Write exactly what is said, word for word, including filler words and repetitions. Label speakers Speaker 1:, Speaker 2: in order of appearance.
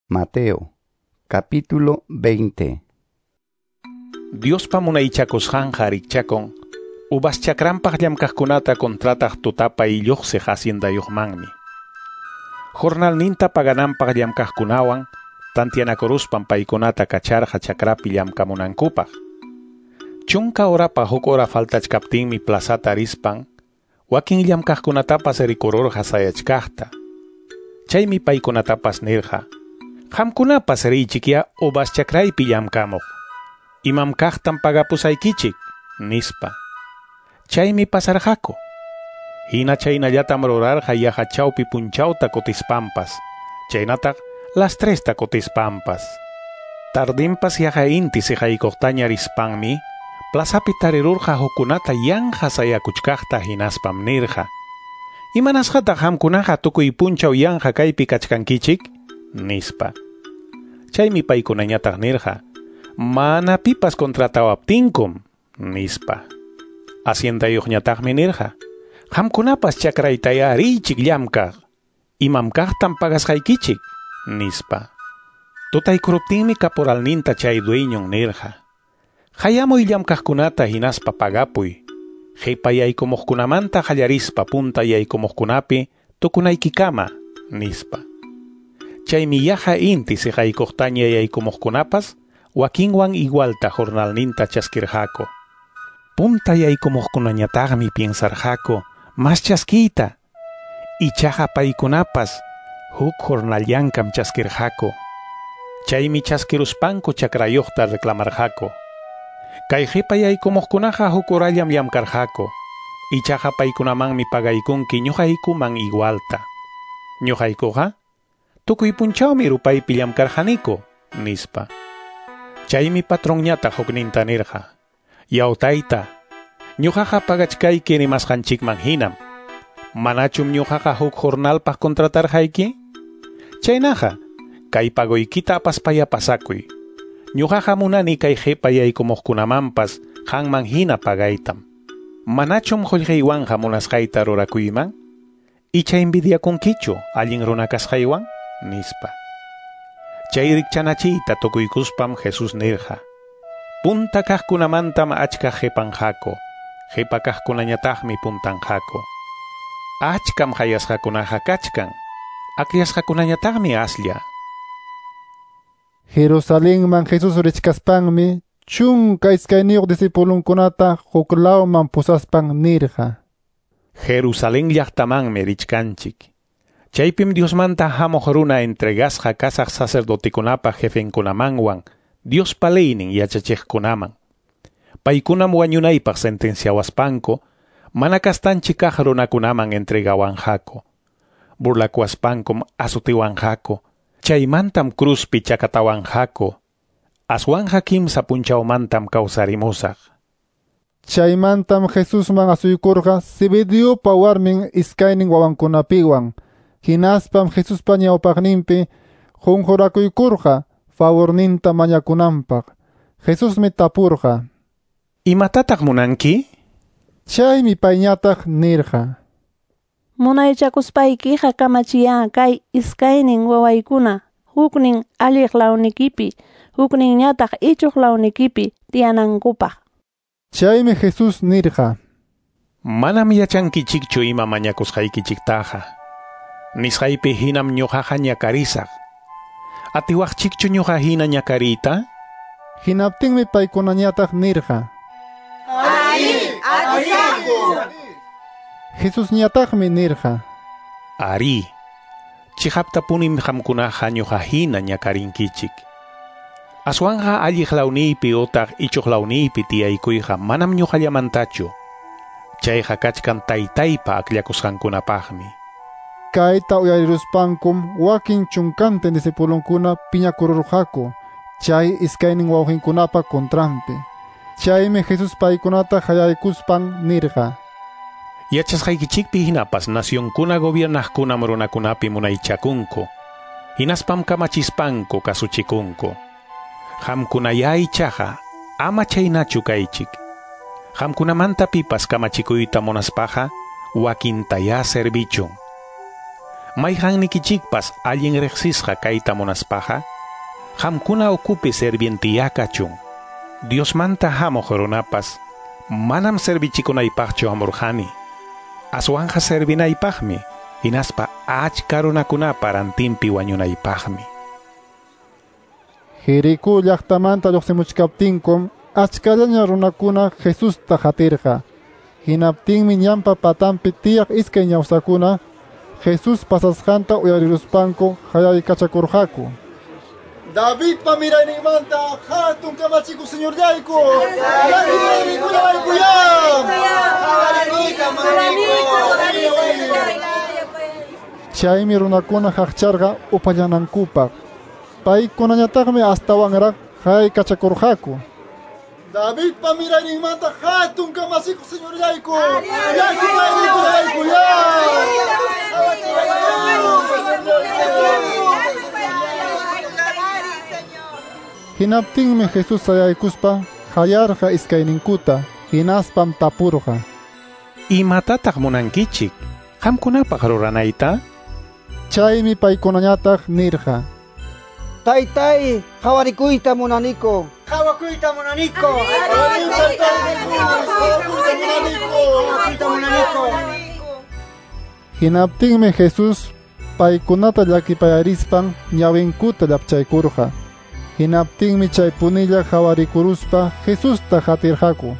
Speaker 1: Mateo, capítulo veinte.
Speaker 2: Diospa munaychakusqanqa rikchakun uvas chakranpaq llamkaqkunata contrataq tutapa illuqsiq haciendayuqmanmi. Jornalninta pagananpaq llamkaqkunawan tantianakuruspan paykunata kacharqa chakrapi llamkamunankupaq. Chunka horapa huk hora faltachkaptinmi plazata rispan wakin llamkaqkunatapas rikururqa sayachkaqta. Chaymi paykunatapas nirqa: Qamkunapas riychikya uvas chakraypi llamkamuq. Imam kaqtam pagapusaykichik, nispa. Chaymi pasarqaku. Hina chaynallatam rurarqa yaqa chawpi punchawta kutispanpas, chaynataq las tresta kutispanpas. Tardinpas yaqa inti siqaykuqtaña rispanmi, plazapi tarirurqa hukkunata yanqa sayakuchkaqta hinaspam nirqa: Imanasqataq qamkunaqa tukuy punchaw yanqa kaypi kachkankichik? Nispa. Chaymi paykunañataq nirqa: Mana pipas contratawaptinkum, nispa. Haciendayuqñataqmi nirqa: Qamkunapas chakraytaya riychik llamkaq. Imam kaqtam pagasqaykichik, nispa. Tutaykuruptinmi caporalninta chay dueñon nirqa: Hayamuy llamkaqkunata hinaspa pagapuy. Qipa yaykumuqkunamanta qallarispa punta yaykumuqkunapi tukunaykikama, nispa. Chaymi yaqa inti siqaykuqtaña yaykumuqkunapas wakinwan igualta jornalninta chaskirqaku. Punta yaykumuqkunañataqmi piensarqaku mas chaskiyta. Ichaqa paykunapas huk jornalllankam chaskirqaku. Chaymi chaskiruspanku chakrayuqta reclamarqaku. Kay qipa yaykumuqkunaqa huk horallam llamkarqaku. Ichaqa paykunamanmi pagaykunki ñuqaykuman igualta. Ñuqaykuqa tukuy punchawmi rupaypi llamkarqaniku, nispa. Chaymi patronñataq hukninta nirqa: Yaw tayta, ñuqaqa pagachkayki rimasqanchikman hinam. Manachum ñuqaqa huk jornalpaq contratarqayki? Chaynaqa, kay pagoykita apaspaya pasakuy. Ñuqaqa munani kay qipa yaykumuqkunamanpas qanman hina pagaytam. Manachum qullqiywanqa munasqayta rurakuyman? Icha envidiakunkichu allin runa kasqaywan? Nispa. Chay rikchanachiyta tukuykuspam Jesús nirqa: Punta kaqkunamantam achka qipanqaku, qipa kaqkunañataqmi puntanqaku. Achkam hayasqakunaqa kachkan, akllasqakunañataqmi aslla.
Speaker 3: Jerusalenman Jesús richkaspanmi chunka iskayniyuq discipulunkunata huklawman pusaspan nirqa:
Speaker 2: Jerusalén llaqtamanmi richkanchik. Chaypim Diosmanta hamuq runa entregasqa kasaq sacerdotekunapa jefenkunamanwan Diospa leynin yachachiqkunaman. Paykunam wañunaypaq sentenciawaspanku mana kastanchik kaq runakunaman entregawanqaku. Burlakuwaspankum azutiwanqaku. Chaymantam cruzpi chakatawanqaku. Aswanqa kimsa punchawmantam kawsarimusaq.
Speaker 3: Chaymantam Jesusman asuykurqa Zebediopa warmin iskaynin wawankunapiwan. Hinaspam Jesuspa ñawpaqninpi qunqurakuykurqa favorninta mañakunanpaq. Jesusmi tapurqa:
Speaker 2: Imatataq munanki?
Speaker 3: Chaymi payñataq nirqa:
Speaker 4: Munaychakuspaykiqa kamachiya kay iskaynin wawaykuna huknin alliq lawnikipi, hukninñataq ichuq lawnikipi tiyanankupaq.
Speaker 3: Chaymi Jesús nirqa:
Speaker 2: Manam yachankichikchu ima mañakusqaykichiktaqa. Nisqaypi hinam ñuqaqa ñakarisaq. Atiwaqchikchu ñuqa hina ñakariyta?
Speaker 3: Hinaptinmi paykunañataq nirqa:
Speaker 5: Ari, atisaqku.
Speaker 3: Jesusñataqmi nirqa:
Speaker 2: Ari, chiqaptapunim qamkunaqa ñuqa hina ñakarinkichik. Aswanqa alliq lawniypi utaq ichuq lawniypi tiyaykuyqa manam ñuqallamantachu. Chayqa kachkan taytaypa akllakusqankunapaqmi.
Speaker 3: Kayta uyariruspankum wakin chunkantin discipulunkuna piñakururqaku chay iskaynin wawqinkunapa contranpi. Chaymi Jesús paykunata hayaykuspan nirqa:
Speaker 2: Yachasqaykichikpi hinapas nacionkuna gobiernaqkunam runakunapi munaychakunku, hinaspam kamachispanku kasuchikunku. Qamkunaya ichaqa ama chaynachu kaychik. Qamkunamanta pipas kamachikuyta munaspaqa wakintaya servichun. Mayqannikichikpas allin riqsisqa kayta munaspaqa, qamkuna ukupi servientiyá kachun. Diosmanta hamuq runapas manam servichikunaypaqchu hamurqani. Aswanqa servinaypaqmi, hinaspa achka runakunapa rantinpi wañunaypaqmi.
Speaker 3: Jericó llaqtamanta lluqsimuchkaptinkum achkallaña runakuna Jesusta qatirqa. Hinaptinmi ñanpa patanpi tiyaq iskay ñawsakuna Jesús pasasqanta uyariruspanku hayaykachakurqaku. Davidpa mirayninmanta hatun kamachikuq señorllayku, llakipayarikullawaykuyá. Chaymi runakuna haqcharqa upallanankupaq. Paykunañataqmi astawanraq haykachakurqaku. Davidpa mirayninmanta hatun kamachikuq señorllayku, llakipayarikullawaykuyá. Hinaptinmi Jesús sayaykuspa hayarqa iskayninkuta, hinaspam tapurqa.
Speaker 2: Imatataq munankichik qamkunapaq ruranayta?
Speaker 3: Chaymi paykunañataq nirqa.
Speaker 6: Taytay, qawarikuyta munaniku.
Speaker 5: Qawakuyta munaniku. Qawakuyta munaniku.
Speaker 3: Hinaptinmi Jesús paykunata llakipayarispan ñawinkuta llapchaykurqa. Hinaptinmi chay punilla qhawarikuruspa Jesusta qatirqaku.